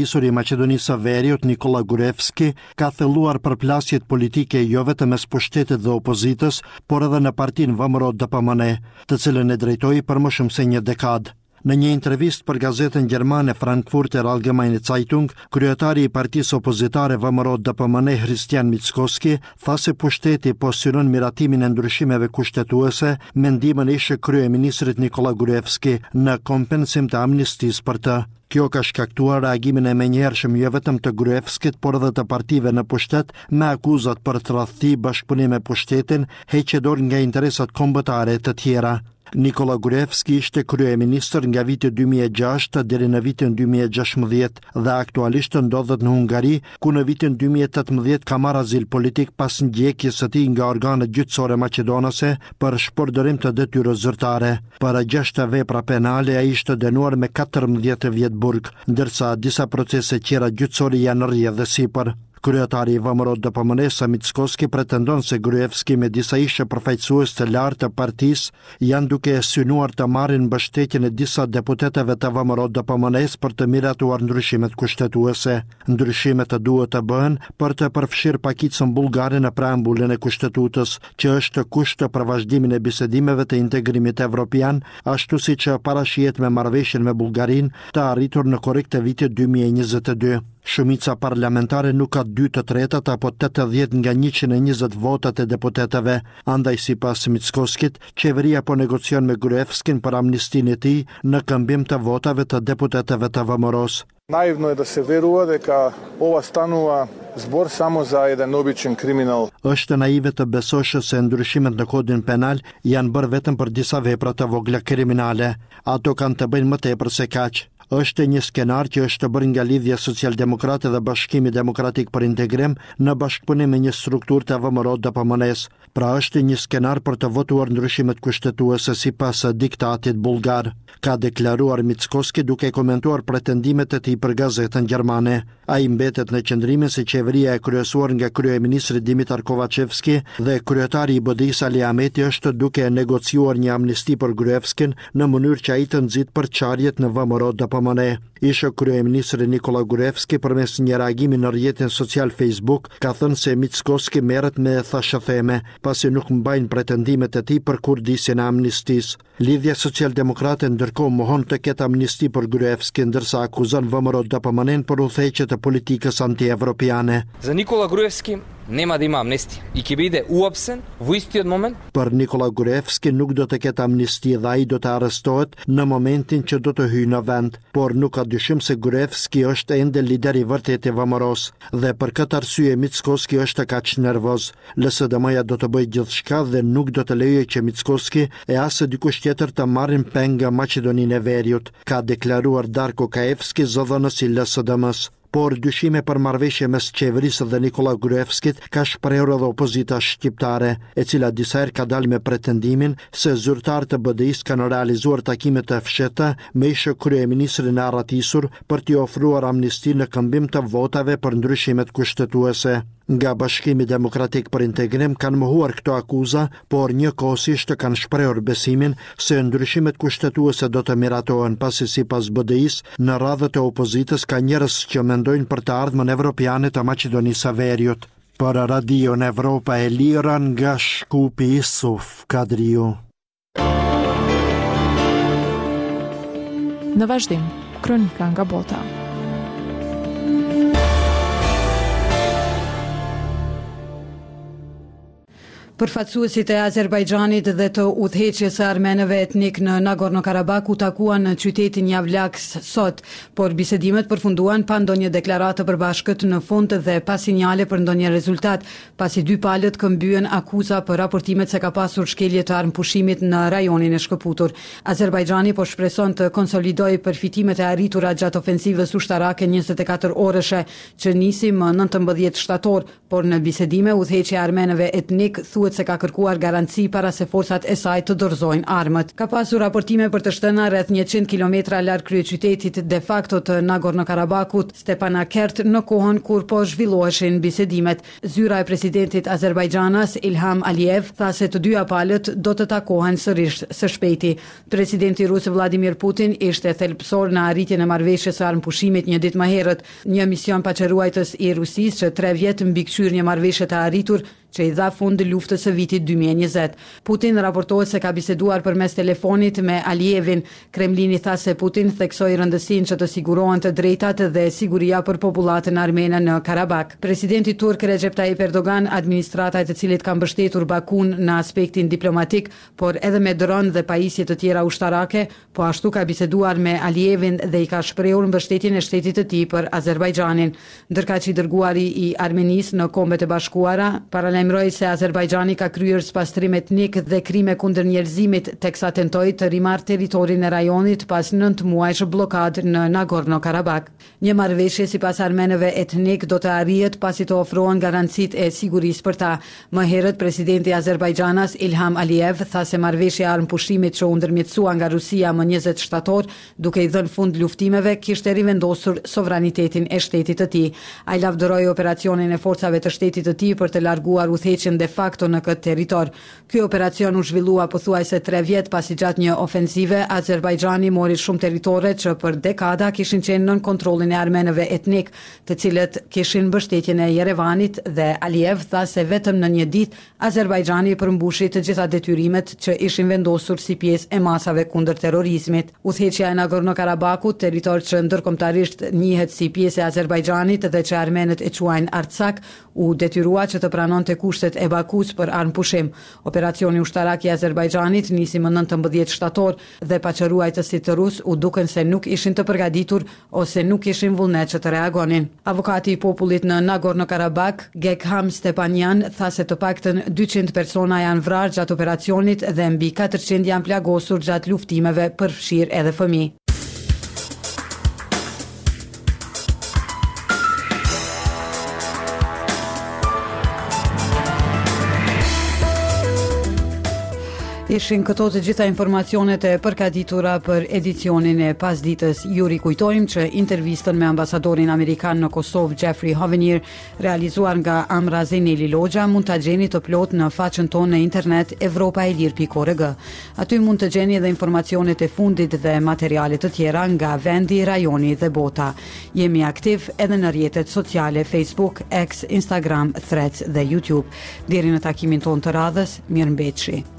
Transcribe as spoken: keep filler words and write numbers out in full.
I Maqedonisë së Veriut, Nikola Gruevski, ka thelluar përplasjet politike jo vetëm mes pushtetit dhe opozitës, por edhe në partinë V M R O D P M N E, të cilën e drejtoi për më shumë se një dekadë. Në një intervistë për gazetën gjermane Frankfurter Allgemeine Zeitung, kryetari i partisë opozitare V M R O D P M N E Hristijan Mickoski tha se pushteti po synon miratimin e ndryshimeve kushtetuese me ndihmën e ish kryeministrit Nikola Gruevski në kompensim të amnistisë për të. Kjo ka shkaktuar reagimin e menjëhershëm jo vetëm të Gruevskit, por edhe të partive në pushtet me akuzat për tradhti, bashkëpunim me pushtetin, heqje dorë nga interesat kombëtare të tjera. Nikola Gruevski ishte kryeministër nga viti dy mijë e gjashtë deri në vitin dy mijë e gjashtëmbëdhjetë dhe aktualisht ndodhet në Hungari, ku në vitin dy mijë e tetëmbëdhjetë ka marrë azil politik pas ndjekjes së tij nga organet gjyqësore maqedonase për shpërdorim të detyrës zyrtare. Për gjashtë vepra penale ai ishte dënuar me katërmbëdhjetë vjet burg, ndërsa disa procese tjera gjyqësore janë në rrjedhë dhe sipër. Kryetari i V M R O D P M N E-së Mickoski pretendon se Gruevski me disa ishe përfaqësues të lartë të partisë janë duke synuar të marrin mbështetjen e disa deputetëve të V M R O D P M N E-së për të miratuar ndryshimet kushtetuese. Ndryshimet të duhet të bëhen për të përfshirë pakicën bullgare në preambulën e kushtetutës, që është kusht për vazhdimin e bisedimeve të integrimit evropian, ashtu siç parashihet me marrëveshjen me Bullgarinë të arritur në korrik të vitit dy mijë e njëzet e dy. Shumica parlamentare nuk ka dy të tretat apo tetëdhjetë nga njëqind e njëzet votat e deputetëve, andaj sipas Mickoskit, qeveria po negocion me Gruevskin për amnistinë e tij në këmbim të votave të deputetëve të V M R O-s. Наивно е да се верува дека ова станува збор само за еден обичен криминал. Është naive të besosh se ndryshimet në kodin penal janë bërë vetëm për disa vepra të vogla kriminale. Ato kanë të bëjnë më tepër se kaq. Është një skenar që është bërë nga Lidhja Socialdemokrate dhe Bashkimi Demokratik për Integrim në bashkëpunim me një strukturë të V M R O D P M N E-s. Pra, është një skenar për të votuar ndryshimet kushtetuese sipas diktatit bullgar, ka deklaruar Mickoski duke komentuar pretendimet e tij për gazetën gjermane. Ai mbetet në qëndrimin se qeveria e kryesuar nga kryeministri Dimitar Kovačevski dhe kryetari i B D I-së Ali Ahmeti është duke negociuar një amnisti për Gruevskin në mënyrë që ai të nxitë përçarjet në V M R O D P M N E. Ish kryeministri Nikola Gruevski përmes një reagimi në rrjetin social Facebook ka thënë se Mickoski merret me thashetheme, pasi nuk mbajnë pretendimet e tij për kurdisjen e amnistisë. Lidhja Socialdemokrate ndërkohë mohon të ketë amnisti për Gruevski, ndërsa akuzon V M R O D P M N-në për udhëheqje të politikës anti-evropiane. За Никола Груевски нема да има амнестија и ќе биде уапсен во истиот момент. Për Nikola Gruevski nuk do të ketë amnisti dhe ai do të arrestohet në momentin që do të hyjë në vend, por nuk ka dyshim se Gruevski është ende lideri i vërtetë i V M R O-s dhe për këtë arsye Mickoski është kaq nervoz. L S D M-ja do të bëjë gjithçka dhe nuk do të lejojë që Mickoski e as dikush tjetër të marrin peng nga Maqedoninë e Veriut, ka deklaruar Darko Kaevski, zëdhënës i L S D M-s. Por dyshime për marrëveshje mes qeverisë dhe Nikola Gruevskit ka shprehur edhe opozita shqiptare, e cila disa herë ka dalë me pretendimin se zyrtarët të B D I-s kanë realizuar takime të fshehta me ish kryeministrin e arratisur për t'i ofruar amnisti në këmbim të votave për ndryshimet kushtetuese. Nga Bashkimi Demokratik për Integrim kanë mohuar këto akuza, por njëkohësisht kanë shprehur besimin se ndryshimet kushtetuese do të miratohen, pasi sipas B D I-s në radhët e opozitës ka njerëz që mendojnë për të ardhmen evropiane të Maqedonisë së Veriut. Për Radion Evropa e Lira nga Shkupi, Isuf Kadriu. Në vazhdim, kronika nga bota. Përfaqësuesit e Azerbajxhanit dhe të udhëheqjes së armenëve etnik në Nagorno-Karabakh u takuan në qytetin Javlaks sot, por bisedimet përfunduan pa ndonjë deklaratë të përbashkët në fund dhe pa sinjale për ndonjë rezultat, pasi dy palët këmbyen akuza për raportimet se ka pasur shkelje të armëpushimit në rajonin e shkëputur. Azerbajxhani po shpreson të konsolidojë përfitimet e arritura gjatë ofensivës ushtarake njëzet e katër orëshe që nisi më nëntëmbëdhjetë shtator, por në bisedime udhëheqja e armenëve etnik thuhet thuhet se ka kërkuar garanci para se forcat e saj të dorëzojnë armët. Ka pasur raportime për të shtëna rreth njëqind kilometra larg kryeqytetit de facto të Nagorno-Karabakut, Stepanakert, në kohën kur po zhvilloheshin bisedimet. Zyra e presidentit azerbajxhanas Ilham Aliyev tha se të dyja palët do të takohen sërish së shpejti. Presidenti rus Vladimir Putin ishte thelbësor në arritjen e marrëveshjes së armëpushimit një ditë më herët. Një mision paqeruajtës i Rusisë që tre vjet mbikëqyr një marrëveshje të arritur që i dha fund luftës së vitit dy mijë e njëzet. Putin raportohet se ka biseduar përmes telefonit me Aliyevin. Kremlini tha se Putin theksoi rëndësinë që të sigurohen të drejtat dhe siguria për popullatën armene në Karabak. Presidenti turk Recep Tayyip Erdogan, administrata e të cilit ka mbështetur Bakun në aspektin diplomatik, por edhe me dron dhe pajisje të tjera ushtarake, po ashtu ka biseduar me Aliyevin dhe i ka shprehur mbështetjen e shtetit të tij për Azerbajxhanin. Ndërkaq i dërguari i Armenisë në Kombet e Bashkuara paralajmëroi se Azerbajxhani ka kryer spastrim etnik dhe krime kundër njerëzimit, teksa tentoi të rimarrë territorin e rajonit pas nëntë muajsh bllokadë në Nagorno-Karabak. Një marrëveshje sipas armenëve etnik do të arrihet pasi të ofrohen garancitë e sigurisë për ta. Më herët, presidenti azerbajxhanas Ilham Aliyev tha se marrëveshja e armëpushimit që u ndërmjetësua nga Rusia më njëzet shtator, duke i dhënë fund luftimeve, kishte rivendosur sovranitetin e shtetit të tij. Ai lavdëroi operacionin e forcave të shtetit të tij për të larguar udhëheqjen de facto në këtë territor. Ky operacion u zhvillua pothuajse tre vjet pasi gjatë një ofensive Azerbajxhani mori shumë territore që për dekada kishin qenë nën kontrollin e armenëve etnik, të cilët kishin mbështetjen e Jerevanit, dhe Aliyev tha se vetëm në një ditë Azerbajxhani përmbushi të gjitha detyrimet që ishin vendosur si pjesë e masave kundër terrorizmit. Udhëheqja e Nagorno-Karabakut, territor që ndërkombëtarisht njihet si pjesë e Azerbajxhanit dhe që armenët e quajnë Artsak, u detyrua që të pranonte kushtet e Bakus për armëpushim. Operacioni ushtarak i Azerbajxhanit nisi më nëntëmbëdhjetë shtator dhe paqeruajtësit rus u dukën se nuk ishin të përgatitur ose nuk kishin vullnet që të reagonin. Avokati i popullit në Nagorno-Karabak, Gekham Stepanyan, tha se të paktën dyqind persona janë vrarë gjatë operacionit dhe mbi katërqind janë plagosur gjatë luftimeve, përfshirë edhe fëmijë. Ishin këto të gjitha informacionet e përgatitura për edicionin e pasditës. Ju rikujtojmë që intervistën me ambasadorin amerikan në Kosovë, Jeffrey Hovenier, realizuar nga Amra Zeneli Loxha, mund ta gjeni të plotë në faqen tonë në internet evropa e lirë pikë org. Aty mund të gjeni edhe informacionet e fundit dhe materiale të tjera nga vendi, rajoni dhe bota. Jemi aktiv edhe në rrjetet sociale Facebook, X, Instagram, Threads dhe YouTube. Deri në takimin tonë të radhës, mirëmbetshi.